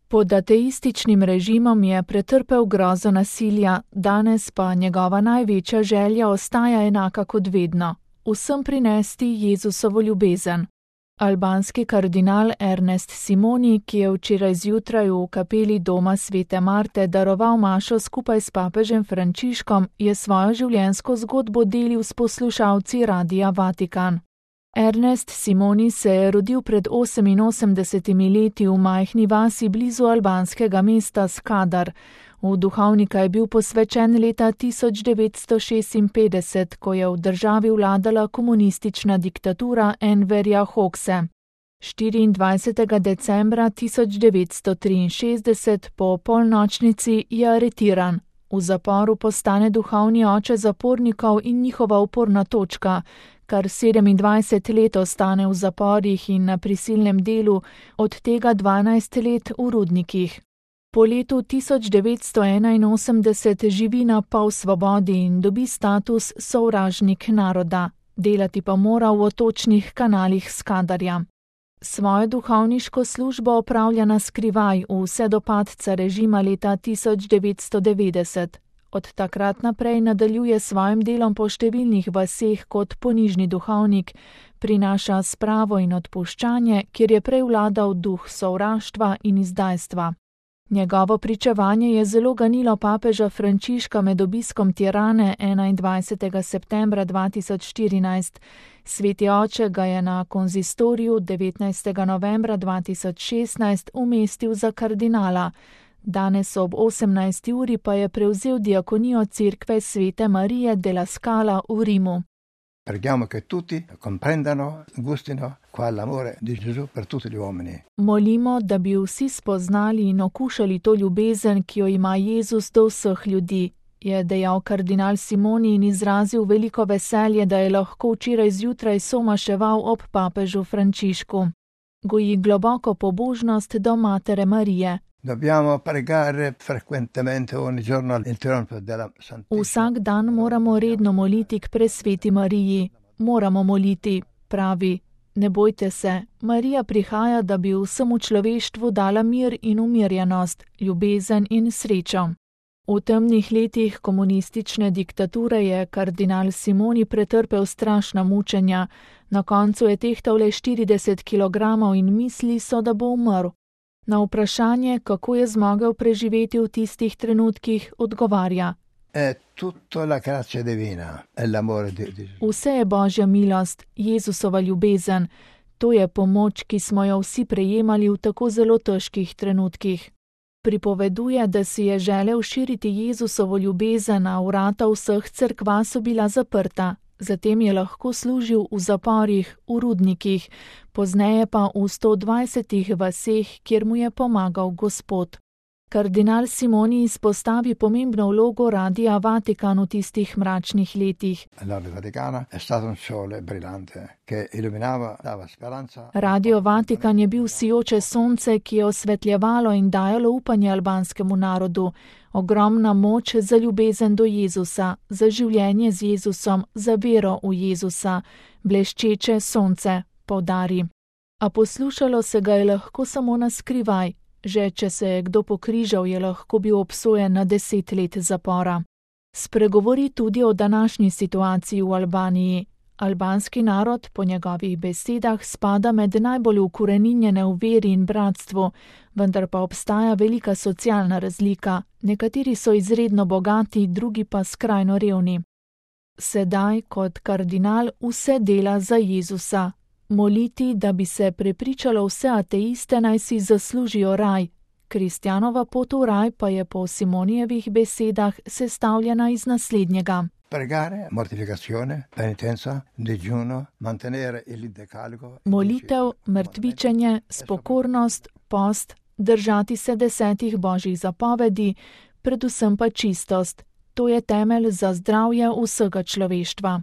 Pod ateističnim režimom je pretrpel grozo nasilja, danes pa njegova največja želja ostaja enaka kot vedno – vsem prinesti Jezusovo ljubezen. Albanski kardinal Ernest Simoni, ki je včeraj zjutraj v kapeli doma Svete Marte daroval mašo skupaj s papežem Frančiškom, je svojo življenjsko zgodbo delil s poslušalci Radia Vatikan. Ernest Simoni se je rodil pred 88 leti v majhni vasi blizu albanskega mesta Skadar. V duhovnika je bil posvečen leta 1956, ko je v državi vladala komunistična diktatura Enverja Hoxhe. 24. decembra 1963 po polnočnici je aretiran. V zaporu postane duhovni oče zapornikov in njihova uporna točka, kar 27 let ostane v zaporih in na prisilnem delu, od tega 12 let v rudnikih. Po letu 1981 živi na pol svobodi in dobi status sovražnik naroda, delati pa mora v otočnih kanalih Skadarja. Svojo duhovniško službo opravlja na skrivaj vse do padca režima leta 1990. Od takrat naprej nadaljuje svojim delom po številnih vaseh kot ponižni duhovnik, prinaša spravo in odpuščanje, kjer je prej vladal duh sovraštva in izdajstva. Njegovo pričevanje je zelo ganilo papeža Frančiška med obiskom Tirane 21. septembra 2014. Sveti oče ga je na konzistoriju 19. novembra 2016 umestil za kardinala. Danes ob 18. uri pa je prevzel diakonijo Cerkve Svete Marije della Scala v Rimu. Preghiamo che tutti comprendano, gustino qua l'amore di Gesù per tutti gli uomini. Molimo, da bi vsi spoznali in okušali to ljubezen, ki jo ima Jezus do vseh ljudi, je dejal kardinal Simoni in izrazil veliko veselje, da je lahko včeraj zjutraj somaševal ob papežu Frančišku. Goji globoko pobožnost do Matere Marije. Dobbiamo pregare frequentemente ogni giorno all'interno della Santissima. Vsak dan moramo redno moliti k presveti Mariji. Moramo moliti, pravi. Ne bojte se, Marija prihaja, da bi vsemu človeštvu dala mir in umirjenost, ljubezen in srečo. V temnih letih komunistične diktature je kardinal Simoni pretrpel strašna mučenja. Na koncu je tehtal le 40 kilogramov in misli so, da bo umrl. Na vprašanje, kako je zmogel preživeti v tistih trenutkih, odgovarja: Vse je Božja milost, Jezusova ljubezen. To je pomoč, ki smo jo vsi prejemali v tako zelo težkih trenutkih. Pripoveduje, da si je želel širiti Jezusovo ljubezen, a vrata vseh cerkva so bila zaprta. Zatem je lahko služil v zaporih, v rudnikih, pozneje pa v 120 vaseh, kjer mu je pomagal Gospod. Kardinal Simoni izpostavi pomembno vlogo Radia Vatikan v tistih mračnih letih. Radio Vatikan je bil sijoče sonce, ki je osvetljevalo in dajalo upanje albanskemu narodu. Ogromna moč za ljubezen do Jezusa, za življenje z Jezusom, za vero v Jezusa, bleščeče sonce, poudari. A poslušalo se ga je lahko samo na skrivaj. Že če se je kdo pokrižal, je lahko bil obsojen na 10 let zapora. Spregovori tudi o današnji situaciji v Albaniji. Albanski narod, po njegovih besedah, spada med najbolj ukoreninjene v veri in bratstvu, vendar pa obstaja velika socialna razlika. Nekateri so izredno bogati, drugi pa skrajno revni. Sedaj, kot kardinal, vse dela za Jezusa. Moliti, da bi se prepričalo vse ateiste, naj si zaslužijo raj. Kristjanova pot v raj pa je po Simonijevih besedah sestavljena iz naslednjega. Pregare, mortificazione, penitenza, digiuno, mantenere il decalogo. Molitev, mrtvičenje, spokornost, post, držati se 10 božjih zapovedi, predvsem pa čistost. To je temelj za zdravje vsega človeštva.